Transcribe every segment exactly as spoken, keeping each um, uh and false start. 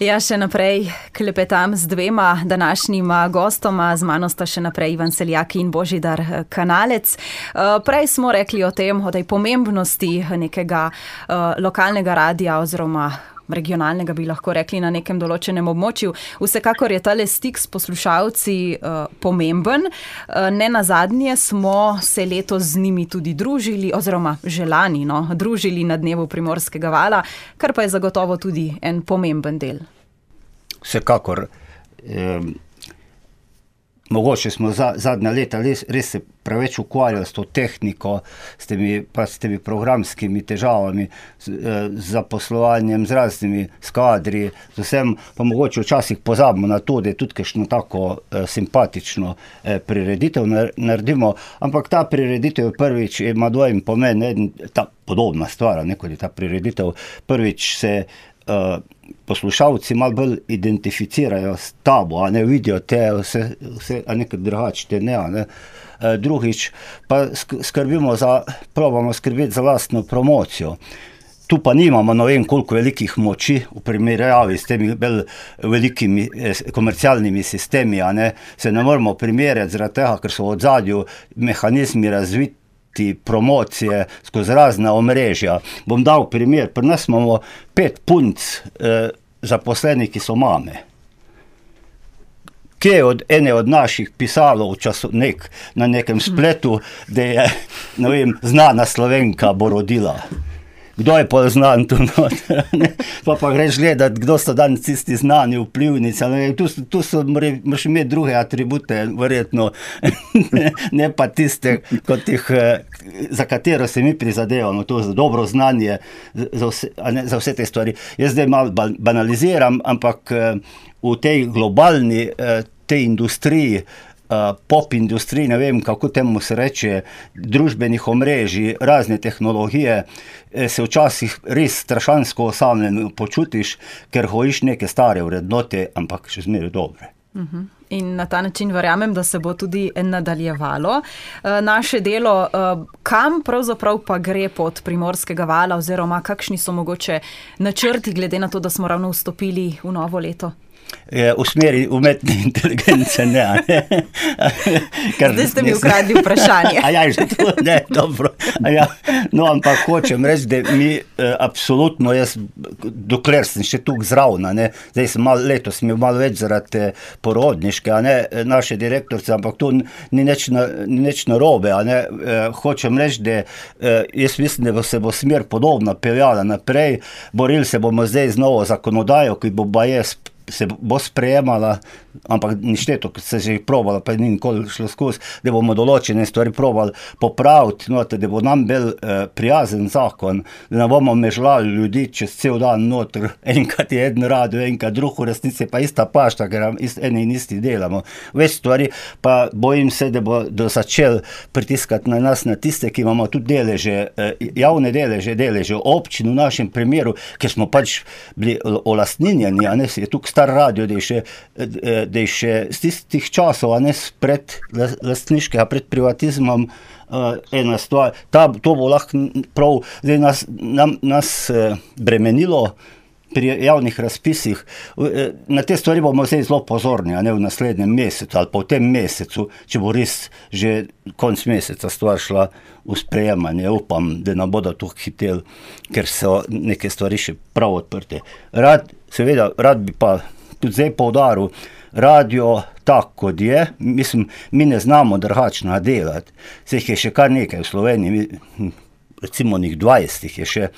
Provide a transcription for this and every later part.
Ja, še naprej klepetam z dvema današnjima gostoma, z mano sta še naprej Ivan Seljak in Božidar Kanalec. Prej smo rekli o tem, o tej pomembnosti nekega lokalnega radia oziroma regionalnega, bi lahko rekli, na nekem določenem območju. Vsekakor je tale stik s poslušalci uh, pomemben. Uh, ne nazadnje smo se letos z njimi tudi družili, oziroma želani, no, družili na dnevu Primorskega vala, kar pa je zagotovo tudi en pomemben del. Vsekakor. Eh, mogoče smo za, zadnja leta res, res se preveč ukvarjali s to tehniko, s temi, pa s temi programskimi težavami, z, eh, z zaposlovanjem, z raznimi skadri, z vsem, pa mogoče včasih pozabimo na to, da je tudi kakšno tako eh, simpatično eh, prireditev naredimo, ampak ta prireditev prvič ima dvojen pomen, eden, ta podobna stvar, ne, kot je ta prireditev, prvič se Uh, poslušalci malo bolj identificirajo s tabo, a ne vidijo te vse, vse a nekaj drugače, ne, a ne. Uh, drugič pa skrbimo za, probamo skrbeti za lastno promocijo. Tu pa nimamo ne vem koliko velikih moči v primerjavi s temi bolj velikimi eh, komercialnimi sistemi, a ne. Se ne moramo primerjati zaradi tega, ker so v odzadju mehanizmi razviti promocije skozi razna omrežja. Bom dal primer, pri nas imamo pet punc eh, zaposlenih, ki so mame. Kje je od ene od naših pisalo v času nek, na nekem spletu, da je, ne vem, znana Slovenka bo rodila. Kdo je poznan tu noter? Pa pa greš gledati, kdo so danes tisti znani vplivnici. Tu, tu so, moraš imeti druge atribute, verjetno, ne, ne pa tiste, kot jih, za katero se mi prizadevamo, to za dobro znanje, za vse, ne, za vse te stvari. Jaz zdaj malo banaliziram, ampak v tej globalni, tej industriji, Uh, pop industriji, ne vem, kako temu se reče, družbenih omrežij, razne tehnologije, se včasih res strašansko osamljen počutiš, ker hojiš neke stare vrednote, ampak še zmeraj dobre. Uh-huh. In na ta način verjamem, da se bo tudi nadaljevalo uh, naše delo. Uh, kam pravzaprav pa gre pot Primorskega vala, oziroma kakšni so mogoče načrti, glede na to, da smo ravno vstopili v novo leto? Je, v smeri umetne inteligence, ne, ne. Kar zdaj ste mi ukradli vprašanje. A ja, že to, ne, dobro. A ja, no, ampak hočem reči, da mi eh, absolutno, jaz, dokler sem še tukaj zravna, ne, zdaj sem malo, letos sem malo več zaradi porodniške, a ne, naše direktorce, ampak to ni nič, na, ni nič narobe, a ne, eh, hočem reči, da eh, jaz mislim, da se bo smer podobno peljala naprej, borili se bomo zdaj z novo zakonodajo, ki bo ba jaz se bo sprejemala, ampak ništeto, ko se že probala, pa ni nikoli šlo skozi, da bomo določene stvari probali popraviti, noter, da bo nam bil eh, prijazen zakon, da ne bomo mežlali ljudi čez cel dan noter, enkrat je eden radio, enkrat drug, v resnici pa ista pašta, ker ist, eni in isti delamo. Več stvari, pa bojim se, da bo do začel pritiskati na nas, na tiste, ki imamo tudi deleže, eh, javne deleže, deleže občin v našem primeru, ker smo pač bili olastninjeni, a ne, je tukaj star radio, da je še, da je še z tistih časov, a ne pred lastniškega, pred privatizmom, uh, ena stvar. Ta, to bo lahko prav, zdaj nas, nam, nas uh, bremenilo pri javnih razpisih. Na te stvari bomo zdaj zelo pozorni, a ne v naslednjem mesecu ali pa v tem mesecu, če bo res že konc meseca stvar šla v sprejemanje. Upam, da ne bodo tu hiteli, ker so neke stvari še prav odprte. Rad, seveda, rad bi pa tudi zdaj poudaril, radio tak, kot je, mislim, mi ne znamo drugačno delati. Se jih je še kar nekaj v Sloveniji, recimo njih dvajset je še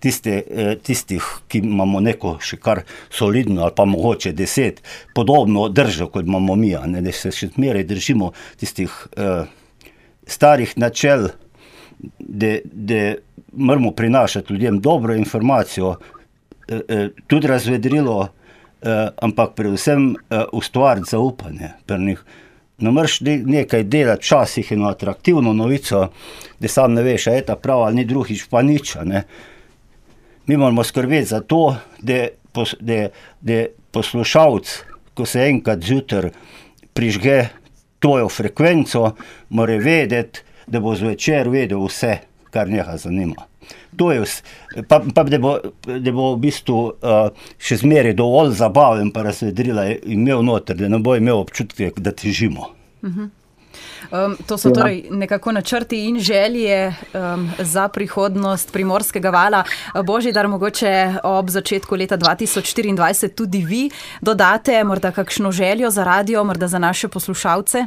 tiste, tistih, ki imamo neko še kar solidno ali pa mogoče deset, podobno držo, kot imamo mi, ne, da se še zmeraj držimo tistih uh, starih načel, da, da moramo prinašati ljudem dobro informacijo, uh, uh, tudi razvedrilo, Uh, ampak predvsem uh, ustvariti zaupanje pri njih. Ne moreš nekaj delati, včasih eno atraktivno novico, da sam ne veš, a je ta prava, ali ni drugič pa nič, ne. Mi moramo skrbeti za to, da, pos, da, da poslušalc, ko se enkrat zjutraj prižge tvojo frekvenco, mora vedeti, da bo zvečer vedel vse, kar neha zanima. To je vse. Pa, pa da, bo, da bo v bistvu uh, še zmeraj dovolj zabaven pa razvedrila imel noter, da ne bo imel občutke, da težimo. Uh-huh. Um, to so torej nekako načrti in želje um, za prihodnost Primorskega vala. Božidar, mogoče ob začetku leta dva tisoč štiriindvajset tudi vi dodate morda kakšno željo za radio, morda za naše poslušalce?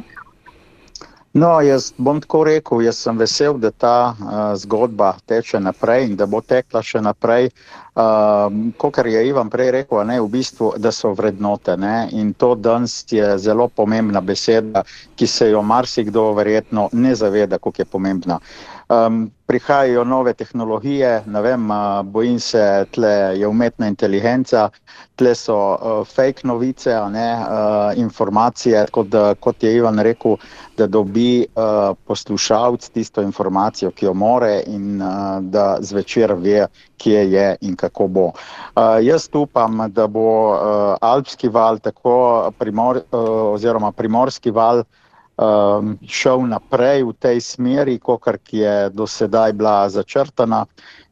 No, jaz bom tako rekel, jaz sem vesel, da ta uh, zgodba teče naprej in da bo tekla še naprej. Uh, kakor je Ivan prej rekel, ne, v bistvu, da so vrednote. Ne, in to danes je zelo pomembna beseda, ki se jo marsikdo verjetno ne zaveda, koliko je pomembna. Um, prihajajo nove tehnologije, ne vem, uh, bojim se, tle je umetna inteligenca, tle so uh, fake novice, ne, uh, informacije, kot, da, kot je Ivan rekel, da dobi uh, poslušalc tisto informacijo, ki jo more in uh, da zvečer ve, kje je in kako bo. Uh, jaz upam, da bo uh, Alpski val, tako primor, uh, oziroma Primorski val, Um, šel naprej v tej smeri, kakor je do sedaj bila začrtana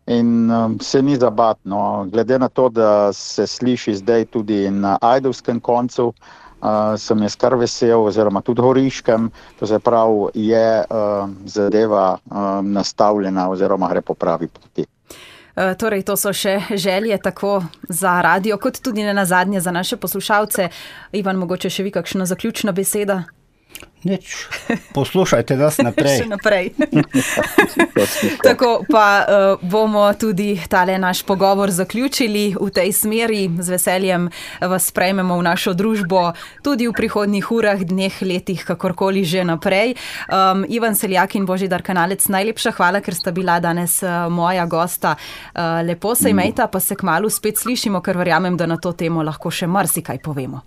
in um, se ni zabatno. Glede na to, da se sliši zdaj tudi na ajdovskem koncu, uh, sem jaz kar vesel, oziroma tudi Horiškem, to se pravi, je uh, zadeva uh, nastavljena oziroma gre po pravi poti. Uh, torej, to so še želje tako za radio, kot tudi ne nazadnje za naše poslušalce. Ivan, mogoče še vi kakšna zaključna beseda? Nič, poslušajte nas naprej. Še naprej. Tako pa uh, bomo tudi tale naš pogovor zaključili v tej smeri. Z veseljem vas sprejmemo v našo družbo tudi v prihodnjih urah, dneh, letih, kakorkoli že naprej. Um, Ivan Seljak in Božidar Kanalec, najlepša hvala, ker sta bila danes uh, moja gosta. Uh, lepo se imejta, pa se kmalu spet slišimo, ker verjamem, da na to temo lahko še marsikaj povemo.